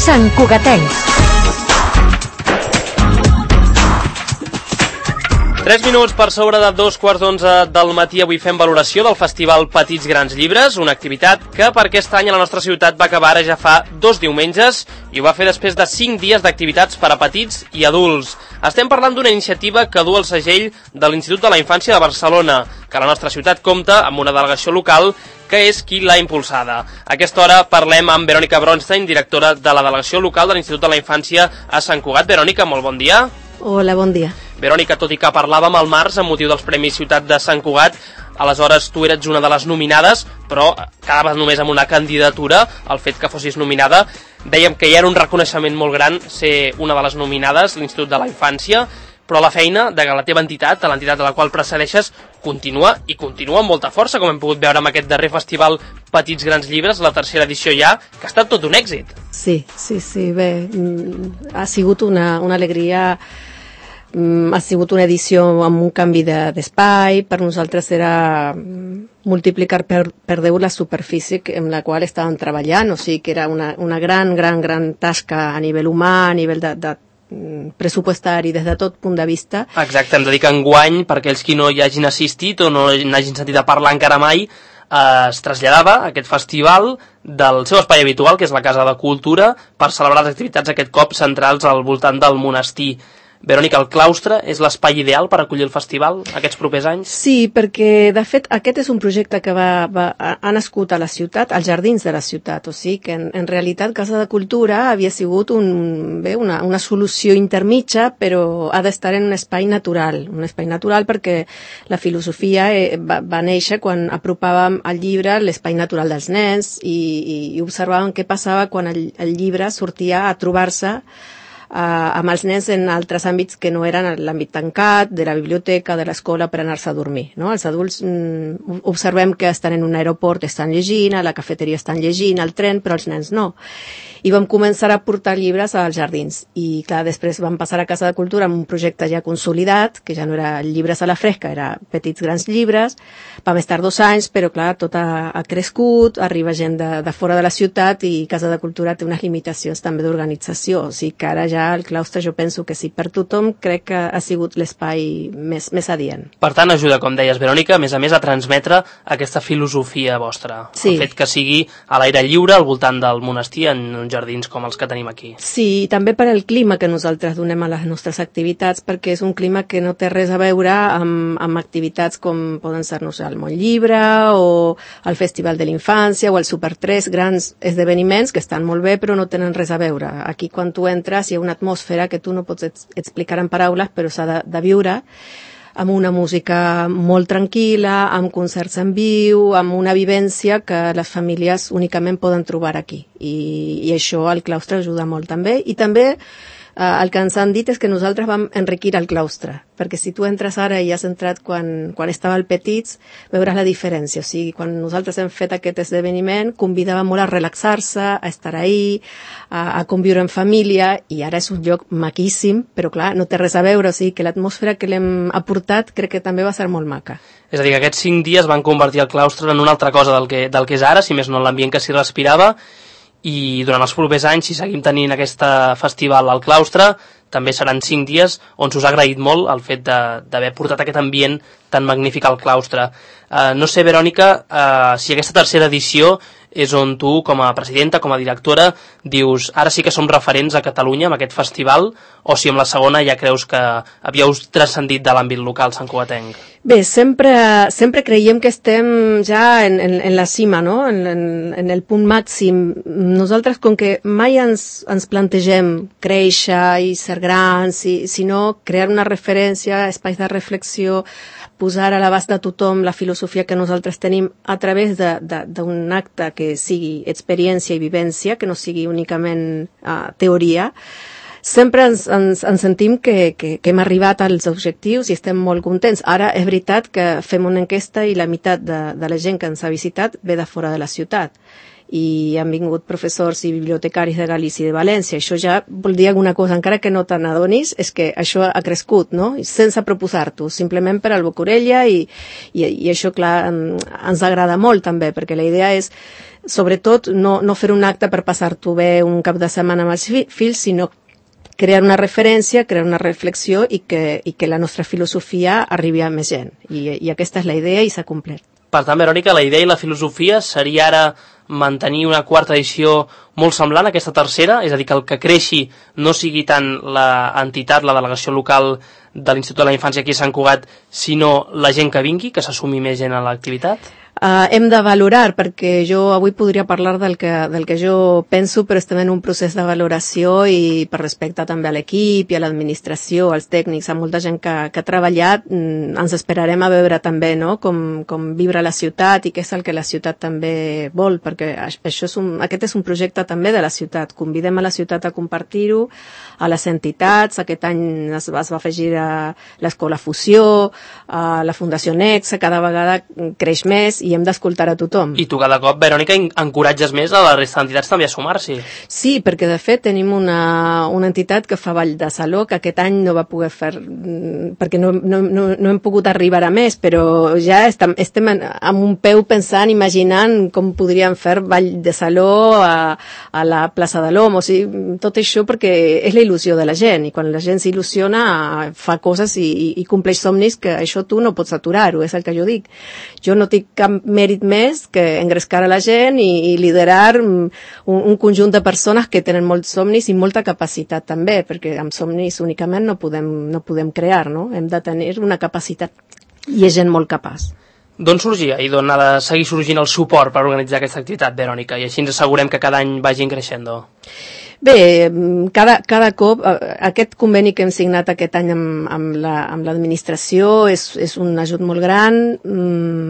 Sant Cugatencs. 3 minuts per sobre de 11:15 del matí. Avui fem valoració del Festival Petits Grans Llibres, una activitat que per aquest any a la nostra ciutat va acabar ara ja fa 2 diumenges i ho va fer després de 5 dies d'activitats per a petits i adults. Estem parlant d'una iniciativa que du el segell de l'Institut de la Infància de Barcelona, que a la nostra ciutat compta amb una delegació local que és qui l'ha impulsada. A aquesta hora parlem amb Verònica Bronstein, directora de la delegació local de l'Institut de la Infància a Sant Cugat. Verònica, molt bon dia. Hola, bon dia. Verònica, tot i que parlàvem al març amb motiu dels Premis Ciutat de Sant Cugat, aleshores tu eres una de les nominades, però quedaves només amb una candidatura. El fet que fossis nominada, dèiem que ja era un reconeixement molt gran ser una de les nominades, l'Institut de la Infància, però la feina de la teva entitat, de l'entitat de la qual precedeixes, continua i continua amb molta força, com hem pogut veure amb aquest darrer festival Petits Grans Llibres, la tercera edició ja, que ha estat tot un èxit. Sí, bé, ha sigut una alegria. Ha sigut una edició amb un canvi d'espai. Per nosaltres era multiplicar per 10 la superfície amb la qual estàvem treballant, o sigui que era una gran tasca a nivell humà, a nivell de pressupostari, des de tot punt de vista. Exacte, hem de dir que enguany, per aquells qui no hi hagin assistit o no n'hagin sentit a parlar encara mai, es traslladava aquest festival del seu espai habitual, que és la Casa de Cultura, per celebrar les activitats aquest cop centrals al voltant del monestir. Verònica, el claustre és l'espai ideal per acollir el festival aquests propers anys? Sí, perquè de fet aquest és un projecte que ha nascut a la ciutat, als jardins de la ciutat, o sigui que en realitat Casa de Cultura havia sigut una solució intermitja, però ha d'estar en un espai natural perquè la filosofia va néixer quan apropàvem el llibre a l'espai natural dels nens i observàvem què passava quan el llibre sortia a trobar-se amb els nens en altres àmbits que no eren l'àmbit tancat, de la biblioteca, de l'escola, per anar-se a dormir, no? Els adults observem que estan en un aeroport, estan llegint, a la cafeteria estan llegint, al tren, però els nens no. I vam començar a portar llibres als jardins. I, clar, després vam passar a Casa de Cultura amb un projecte ja consolidat, que ja no era llibres a la fresca, era Petits Grans Llibres. Vam estar 2 anys, però, clar, tot ha crescut, arriba gent de fora de la ciutat i Casa de Cultura té unes limitacions també d'organització. O sigui que ara ja el claustre jo penso que sí, per tothom crec que ha sigut l'espai més adient. Per tant, ajuda, com deies, Verònica, a més a transmetre aquesta filosofia vostra. Sí. El fet que sigui a l'aire lliure, al voltant del monestir, en uns jardins com els que tenim aquí. Sí, i també per al clima que nosaltres donem a les nostres activitats, perquè és un clima que no té res a veure amb activitats com poden ser, no sé, el Montllibre o el Festival de l'Infància o el Super 3, grans esdeveniments que estan molt bé però no tenen res a veure. Aquí quan tu entres hi ha una atmosfera que tu no pots explicar en paraules, però s'ha de viure amb una música molt tranquil·la, amb concerts en viu, amb una vivència que les famílies únicament poden trobar aquí. I això al claustre ajuda molt també. I també el que ens han dit és que nosaltres vam enriquir el claustre, perquè si tu entres ara i has entrat quan estava el Petits, veuràs la diferència. O sigui, quan nosaltres hem fet aquest esdeveniment, convidava molt a relaxar-se, a estar ahí, a conviure en família, i ara és un lloc maquíssim, però clar, no té res a veure, o sigui que l'atmosfera que l'hem aportat crec que també va ser molt maca. És a dir, que aquests 5 dies van convertir el claustre en una altra cosa del que és ara, si més no en l'ambient que s'hi respirava, i durant els propers anys, si seguim tenint aquest festival al claustre, també seran 5 dies on s'us ha agraït molt el fet d'haver portat aquest ambient tan magnífic al claustre. No sé, Verònica, si aquesta tercera edició és on tu, com a presidenta, com a directora, dius, ara sí que som referents a Catalunya amb aquest festival, o si amb la segona ja creus que havíeu transcendit de l'àmbit local santcugatenc? Bé, sempre creiem que estem ja en la cima, no? En el punt màxim. Nosaltres, com que mai ens plantegem créixer i ser grans, sinó crear una referència, espais de reflexió, posar a l'abast de tothom la filosofia que nosaltres tenim a través d'un acte que sigui experiència i vivència, que no sigui únicament teoria. Sempre ens sentim que hem arribat als objectius i estem molt contents. Ara és veritat que fem una enquesta i la meitat de la gent que ens ha visitat ve de fora de la ciutat. I han vingut professors i bibliotecaris de Galícia i de València. Això ja vol dir alguna cosa, encara que no te n'adonis, és que això ha crescut, no? Sense proposar-t'ho, simplement per al boca orella i això, clar, ens agrada molt també, perquè la idea és sobretot no fer un acte per passar-t'ho bé un cap de setmana amb els fills, sinó crear una referència, crear una reflexió i que la nostra filosofia arribi a més gent. I aquesta és la idea i s'ha complert. Per tant, Verònica, la idea i la filosofia seria ara mantenir una quarta edició molt semblant a aquesta tercera, és a dir, que el que creixi no sigui tant l'entitat, la delegació local de l'Institut de la Infància aquí a Sant Cugat, sinó la gent que vingui, que s'assumi més gent a l'activitat? Hem de valorar, perquè jo avui podria parlar del que jo penso, però estem en un procés de valoració i per respecte també a l'equip i a l'administració, als tècnics, a molta gent que ha treballat, ens esperarem a veure també, no?, com vibra la ciutat i què és el que la ciutat també vol, perquè aquest és un projecte també de la ciutat. Convidem a la ciutat a compartir-ho, a les entitats. Aquest any es va afegir a l'Escola Fusió, a la Fundació Nexa, cada vegada creix més i hem d'escoltar a tothom. I tu cada cop, Verònica, encoratges més a la resta d'entitats també a sumar-s'hi. Sí, perquè de fet tenim una entitat que fa ball de saló, que aquest any no va poder fer, perquè no hem pogut arribar a més, però ja estem amb un peu pensant, imaginant com podríem fer ball de saló a la plaça de l'Om, o sigui, tot això perquè és la il·lusió de la gent, i quan la gent s'il·lusiona fa coses i compleix somnis, que això tu no pots aturar-ho, és el que jo dic. Jo no tinc cap mèrit més que engrescar a la gent i liderar un conjunt de persones que tenen molts somnis i molta capacitat també, perquè amb somnis únicament no podem crear, no? Hem de tenir una capacitat i és gent molt capaç. D'on sorgia i d'on ha de seguir sorgint el suport per organitzar aquesta activitat, Verònica? I així ens assegurem que cada any vagin creixent. Bé, cada cop, aquest conveni que hem signat aquest any amb l'administració és un ajut molt gran,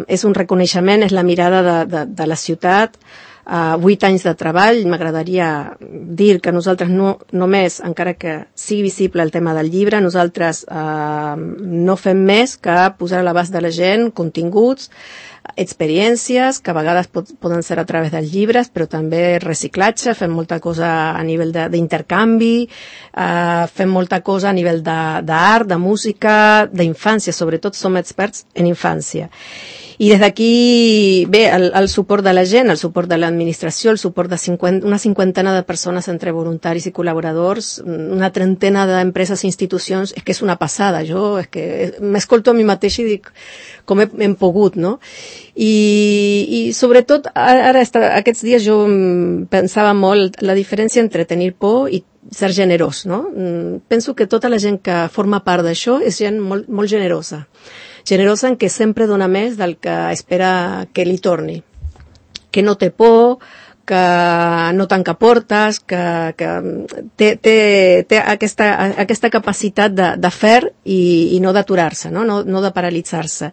és un reconeixement, és la mirada de la ciutat, 8 anys de treball. M'agradaria dir que nosaltres no només, encara que sigui visible el tema del llibre, nosaltres no fem més que posar a l'abast de la gent continguts, experiències, que a vegades poden ser a través dels llibres, però també reciclatge, fem molta cosa a nivell d'intercanvi, fem molta cosa a nivell d'art, de música, d'infància, sobretot som experts en infància. I des d'aquí, bé, el suport de la gent, el suport de l'administració, el suport de una cinquantena de persones entre voluntaris i col·laboradors, una trentena d'empreses i institucions, és que és una passada. Jo és que m'escolto a mi mateix i dic com hem pogut, no? I sobretot, ara aquests dies jo pensava molt la diferència entre tenir por i ser generós, no? Penso que tota la gent que forma part d'això és gent molt, molt generosa en què sempre dona més del que espera que li torni, que no té por, que no tanca portes, que té aquesta capacitat de fer i no d'aturar-se, no de paralitzar-se.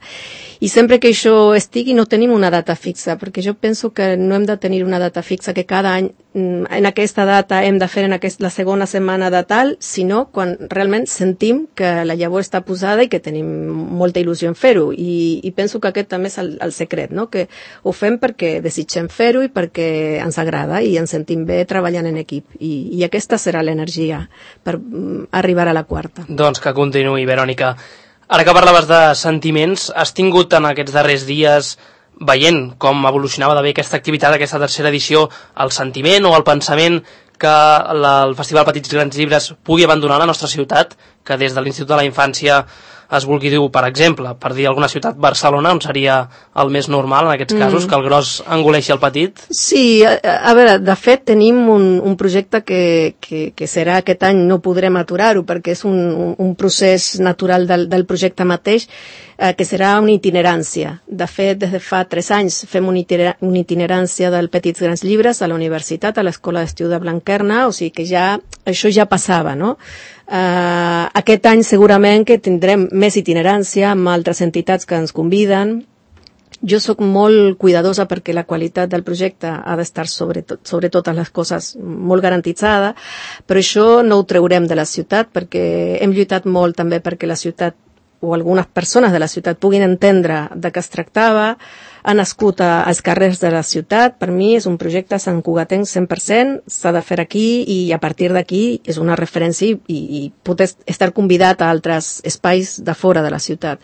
I sempre que això estigui no tenim una data fixa, perquè jo penso que no hem de tenir una data fixa, que cada any en aquesta data hem de fer la segona setmana de tal, sinó quan realment sentim que la llavor està posada i que tenim molta il·lusió en fer-ho. I penso que aquest també és el secret, no? Que ho fem perquè desitgem fer-ho i perquè ens agrada i ens sentim bé treballant en equip. I aquesta serà l'energia per arribar a la quarta. Doncs que continuï, Verònica. Ara que parlaves de sentiments, has tingut en aquests darrers dies, veient com evolucionava de bé aquesta activitat, aquesta tercera edició, el sentiment o el pensament que el Festival Petits Grans Llibres pugui abandonar la nostra ciutat, que des de l'Institut de la Infància es vulgui dir, per exemple, per dir alguna ciutat, Barcelona, on seria el més normal en aquests casos, que el gros engoleixi el petit? Sí, a veure, de fet tenim un projecte que serà aquest any, no podrem aturar-ho perquè és un procés natural del projecte mateix, que serà una itinerància. De fet, des de fa 3 anys fem una itinerància del Petits Grans Llibres a la universitat, a l'Escola d'Estiu de Blanquerna, o sigui que això ja passava, no? Aquest any segurament que tindrem més itinerància amb altres entitats que ens conviden. Jo sóc molt cuidadosa perquè la qualitat del projecte ha d'estar sobre totes les coses molt garantitzada, però això no ho treurem de la ciutat perquè hem lluitat molt també perquè la ciutat o algunes persones de la ciutat puguin entendre de què es tractava, ha nascut als carrers de la ciutat. Per mi és un projecte santcugatenc 100%, s'ha de fer aquí i a partir d'aquí és una referència i pot estar convidat a altres espais de fora de la ciutat.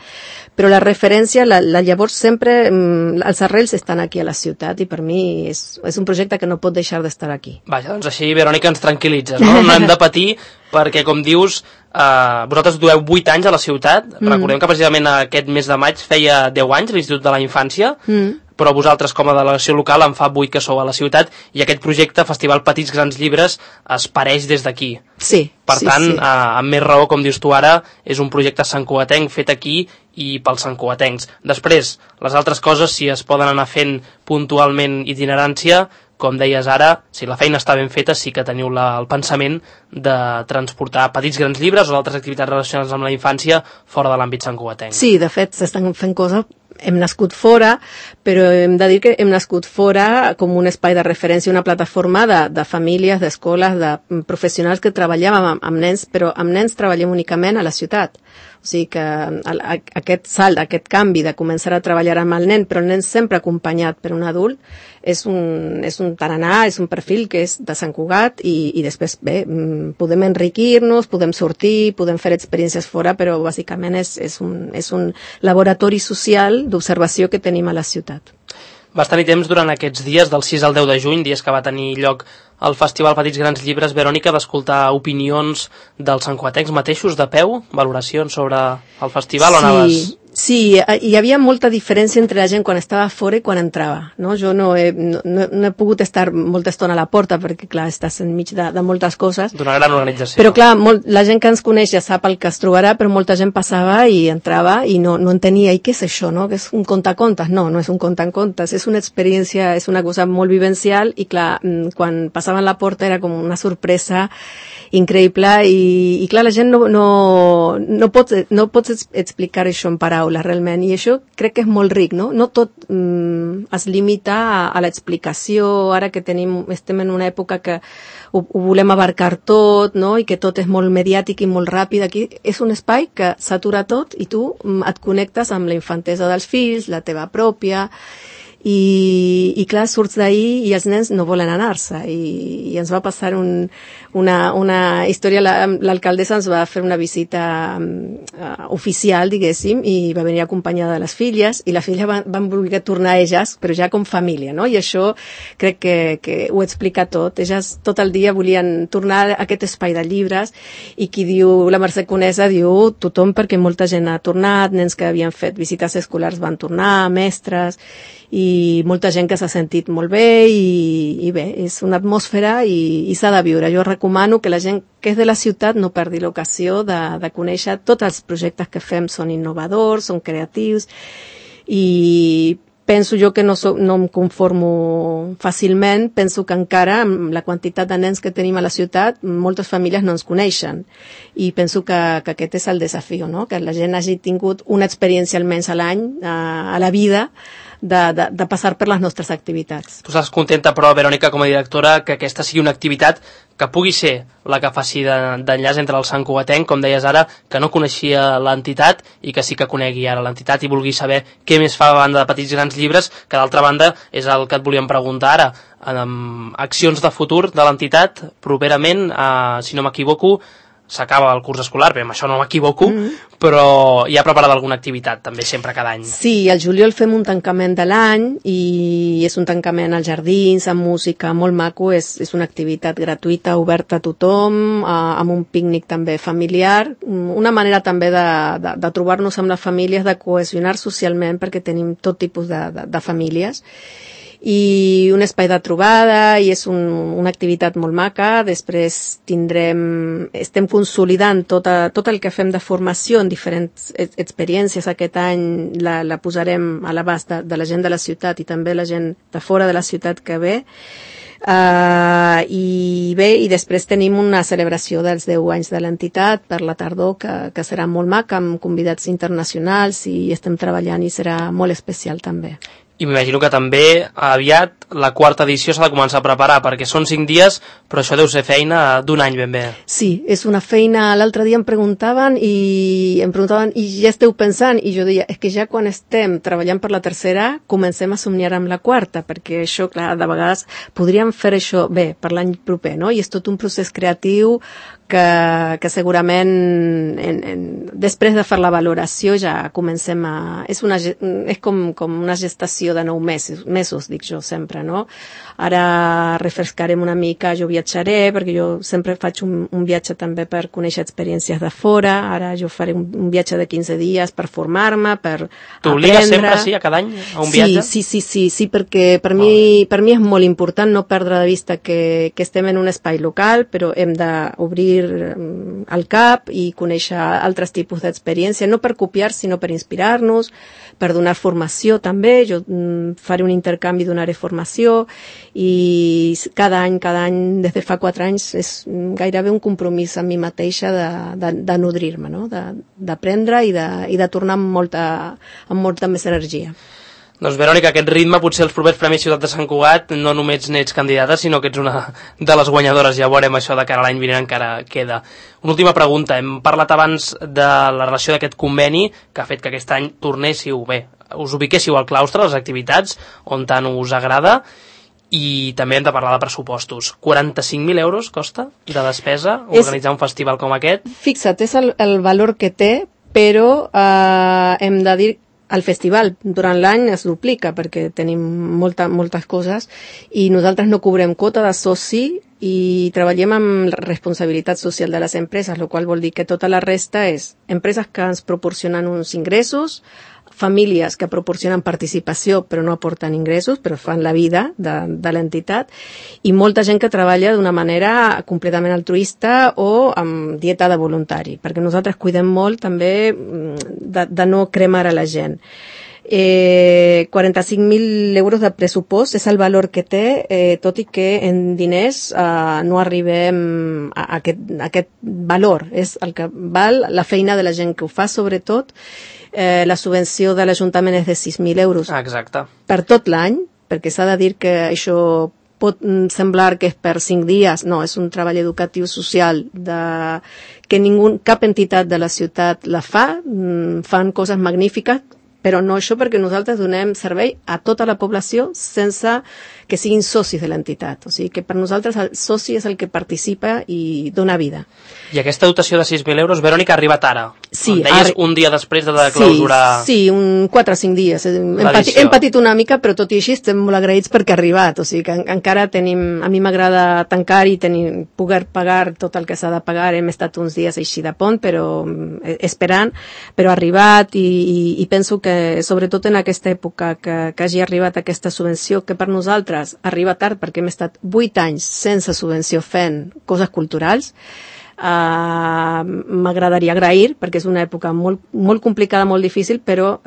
Però la referència, llavors sempre, els arrels estan aquí a la ciutat i per mi és un projecte que no pot deixar d'estar aquí. Vaja, doncs així, Verònica, ens tranquil·litzes, no? No hem de patir perquè, com dius, vosaltres dueu 8 anys a la ciutat. Recordem que precisament aquest mes de maig feia 10 anys l'Institut de la Infància, però vosaltres com a delegació local en fa 8 que sou a la ciutat i aquest projecte, Festival Petits Grans Llibres, es pareix des d'aquí. Sí. Per tant, amb més raó, com dius tu ara, és un projecte santcugatenc fet aquí i pels santcugatencs. Després, les altres coses, si es poden anar fent puntualment itinerància, com deies ara, si la feina està ben feta, sí que teniu el pensament de transportar petits grans llibres o altres activitats relacionades amb la infància fora de l'àmbit santcugatenc. Sí, de fet, s'estan fent coses. Hem nascut fora, però hem de dir que hem nascut fora com un espai de referència, una plataforma de famílies, d'escoles, de professionals que treballàvem amb nens, però amb nens treballem únicament a la ciutat. O sigui que aquest salt, aquest canvi de començar a treballar amb el nen, però el nen sempre acompanyat per un adult, és un tarannà, és un perfil que és de Sant Cugat i després, bé, podem enriquir-nos, podem sortir, podem fer experiències fora, però bàsicament és un laboratori social d'observació que tenim a la ciutat. Vas tenir temps durant aquests dies, del 6 al 10 de juny, dies que va tenir lloc el Festival Petits Grans Llibres, Verònica, d'escoltar opinions dels santcugatencs mateixos de peu, valoracions sobre el festival, o anaves... Sí, hi havia molta diferència entre la gent quan estava fora i quan entrava, no? Jo no he pogut estar molta estona a la porta perquè, clar, estàs enmig de moltes coses. D'una gran organització. Però, clar, la gent que ens coneix ja sap el que es trobarà, però molta gent passava i entrava i no entenia, i què és això, no? Que és un contacontes? No és un contacontes, és una experiència, és una cosa molt vivencial i, clar, quan passaven la porta era com una sorpresa increïble i clar, la gent no pots explicar això en paraules realment, i això crec que és molt ric, no? No tot es limita a l'explicació, ara que estem en una època que ho volem abarcar tot, no? I que tot és molt mediàtic i molt ràpid. Aquí és un espai que s'atura tot i tu et connectes amb la infantesa dels fills, la teva pròpia, i clar, surts d'ahir i els nens no volen anar-se i ens va passar una història. L'alcaldessa ens va fer una visita oficial, diguéssim, i va venir acompanyada de les filles i les filles van voler tornar a elles, però ja com família, no? I això crec que ho explica tot. Elles tot el dia volien tornar a aquest espai de llibres i qui diu, la Mercè Conesa diu tothom, perquè molta gent ha tornat, nens que havien fet visites escolars van tornar, mestres, i molta gent que s'ha sentit molt bé i bé, és una atmosfera i s'ha de viure. Jo recomano que la gent que és de la ciutat no perdi l'ocasió de conèixer tots els projectes que fem. Són innovadors, són creatius i penso jo que no em conformo fàcilment. Penso que encara amb la quantitat de nens que tenim a la ciutat moltes famílies no ens coneixen i penso que aquest és el desafiu, no? Que la gent hagi tingut una experiència almenys a l'any, a la vida, de passar per les nostres activitats. Tu estàs contenta, però, Verònica, com a directora, que aquesta sigui una activitat que pugui ser la que faci d'enllaç entre el santcugatenc, com deies ara, que no coneixia l'entitat i que sí que conegui ara l'entitat i vulgui saber què més fa a banda de Petits Grans Llibres, que d'altra banda és el que et volíem preguntar ara. Accions de futur de l'entitat, properament, si no m'equivoco, s'acaba el curs escolar, bé, amb això no m'equivoco, però hi ha preparada alguna activitat també sempre cada any. Sí, al juliol fem un tancament de l'any i és un tancament als jardins, amb música, molt maco, és una activitat gratuïta, oberta a tothom, amb un pícnic també familiar, una manera també de trobar-nos amb les famílies, de cohesionar socialment, perquè tenim tot tipus de famílies, i un espai de trobada i és una activitat molt maca. Després estem consolidant tot el que fem de formació en diferents experiències. Aquest any la posarem a l'abast de la gent de la ciutat i també la gent de fora de la ciutat que ve. I després tenim una celebració dels 10 anys de l'entitat per la tardor que serà molt maca, amb convidats internacionals, i estem treballant i serà molt especial també. I m'imagino que també aviat la quarta edició s'ha de començar a preparar, perquè són 5 dies, però això deu ser feina d'un any ben bé. Sí, és una feina. L'altre dia em preguntaven i ja esteu pensant? I jo deia, és que ja quan estem treballant per la tercera, comencem a somniar amb la quarta, perquè això, clar, de vegades podríem fer això bé per l'any proper, no? I és tot un procés creatiu que segurament després de fer la valoració ja comencem a... És com una gestació de 9 mesos, dic jo sempre, no? Ara refrescarem una mica, jo viatjaré, perquè jo sempre faig un viatge també per conèixer experiències de fora, ara jo faré un viatge de 15 dies per formar-me, per aprendre... T'obligues sempre, sí, a cada any, a un viatge? Sí, perquè per mi és molt important no perdre de vista que estem en un espai local, però hem d'obrir el cap i conèixer altres tipus d'experiència, no per copiar, sinó per inspirar-nos, per donar formació també. Jo faré un intercanvi, donaré formació, i cada any, des de fa 4 anys, és gairebé un compromís amb mi mateixa de nodrir-me, no? D'aprendre i de tornar amb molta més energia. Doncs, Verònica, aquest ritme, potser els propers Premis Ciutat de Sant Cugat no només n'ets candidata, sinó que ets una de les guanyadores. Ja veurem això de cara a l'any vinent, encara queda. Una última pregunta. Hem parlat abans de la relació d'aquest conveni que ha fet que aquest any tornéssiu, us ubiquéssiu al claustre, les activitats, on tant us agrada, i també hem de parlar de pressupostos. 45.000 euros costa de despesa organitzar un festival com aquest? Fixa't, és el valor que té, però hem de dir el festival durant l'any es duplica perquè tenim moltes coses i nosaltres no cobrem quota de soci i treballem amb responsabilitat social de les empreses, el qual vol dir que tota la resta és empreses que ens proporcionen uns ingressos, famílies que proporcionen participació però no aporten ingressos, però fan la vida de l'entitat, i molta gent que treballa d'una manera completament altruista o amb dieta de voluntari, perquè nosaltres cuidem molt també de no cremar a la gent. 45.000 euros de pressupost és el valor que té, tot i que en diners no arribem a aquest valor. És el que val la feina de la gent que ho fa, sobretot. La subvenció de l'Ajuntament és de 6.000 euros. Exacte. Per tot l'any, perquè s'ha de dir que això pot semblar que és per 5 dies, no, és un treball educatiu social que cap entitat de la ciutat la fa, fan coses magnífiques, però no això perquè nosaltres donem servei a tota la població sense que siguin socis de l'entitat. O sigui que per nosaltres el soci és el que participa i dona vida. I aquesta dotació de 6.000 euros, Verònica, ha arribat ara? Sí. Em deies un dia després de clausurar... Sí, 4 o 5 dies. Hem patit una mica, però tot i així estem molt agraïts perquè ha arribat. O sigui que encara tenim... A mi m'agrada tancar i poder pagar tot el que s'ha de pagar. Hem estat uns dies així de pont, però esperant, però ha arribat i penso que, sobretot en aquesta època, que hagi arribat aquesta subvenció, que per nosaltres arriba tard perquè hem estat 8 anys sense subvenció fent coses culturals, m'agradaria agrair, perquè és una època molt, molt complicada, molt difícil, però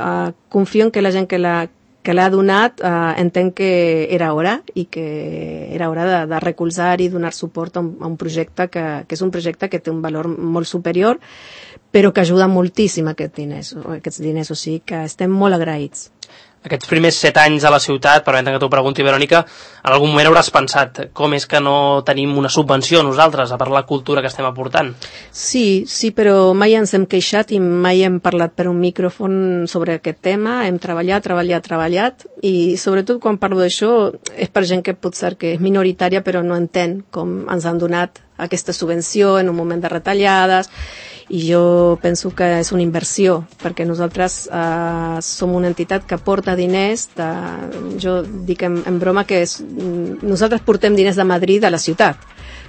confio en que la gent que l'ha donat entén que era hora i que era hora de recolzar i donar suport a un projecte que és un projecte que té un valor molt superior, però que ajuda moltíssim aquests diners, o sigui que estem molt agraïts. Aquests primers 7 anys a la ciutat, permetem que t'ho pregunti, Verònica, en algun moment hauràs pensat com és que no tenim una subvenció nosaltres a per la cultura que estem aportant? Sí, però mai ens hem queixat i mai hem parlat per un micròfon sobre aquest tema. Hem treballat i sobretot quan parlo d'això és per gent que potser que és minoritària però no entén com ens han donat aquesta subvenció en un moment de retallades, i jo penso que és una inversió, perquè nosaltres som una entitat que porta diners, jo dic en broma que nosaltres portem diners de Madrid a la ciutat,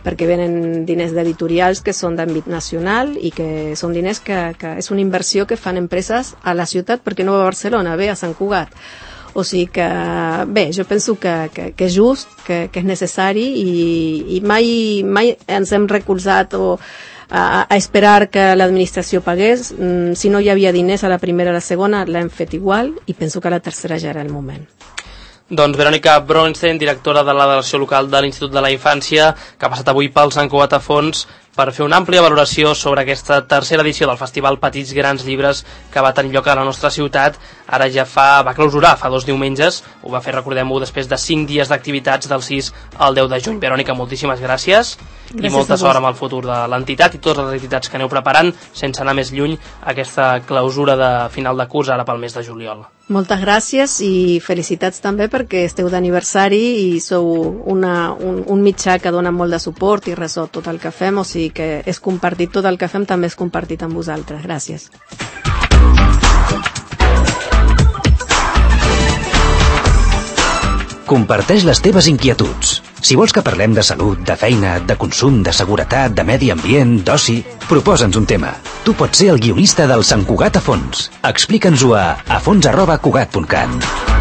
perquè venen diners d'editorials que són d'àmbit nacional i que són diners que és una inversió que fan empreses a la ciutat perquè no va a Barcelona, ve a Sant Cugat. O sigui que, bé, jo penso que és just, que és necessari i mai ens hem recolzat a esperar que l'administració pagués. Si no hi havia diners a la primera o a la segona, l'hem fet igual i penso que a la tercera ja era el moment. Doncs Verònica Bronstein, directora de la delegació local de l'Institut de la Infància, que ha passat avui pel Sant Cugat a Fons per fer una àmplia valoració sobre aquesta tercera edició del Festival Petits Grans Llibres que va tenir lloc a la nostra ciutat. Ara ja va clausurar fa 2 diumenges, ho va fer, recordem-ho, després de 5 dies d'activitats del 6 al 10 de juny. Verònica, moltíssimes gràcies i molta sort amb el futur de l'entitat i totes les activitats que aneu preparant, sense anar més lluny, aquesta clausura de final de curs ara pel mes de juliol. Moltes gràcies i felicitats també perquè esteu d'aniversari i sou un mitjà que dona molt de suport i resol tot el que fem, o sigui que és compartit, tot el que fem també és compartit amb vosaltres. Gràcies. Comparteix les teves inquietuds. Si vols que parlem de salut, de feina, de consum, de seguretat, de medi ambient, d'oci, proposa'ns un tema. Tu pots ser el guionista del Sant Cugat a Fons. Explica'ns-ho a fons@cugat.cat.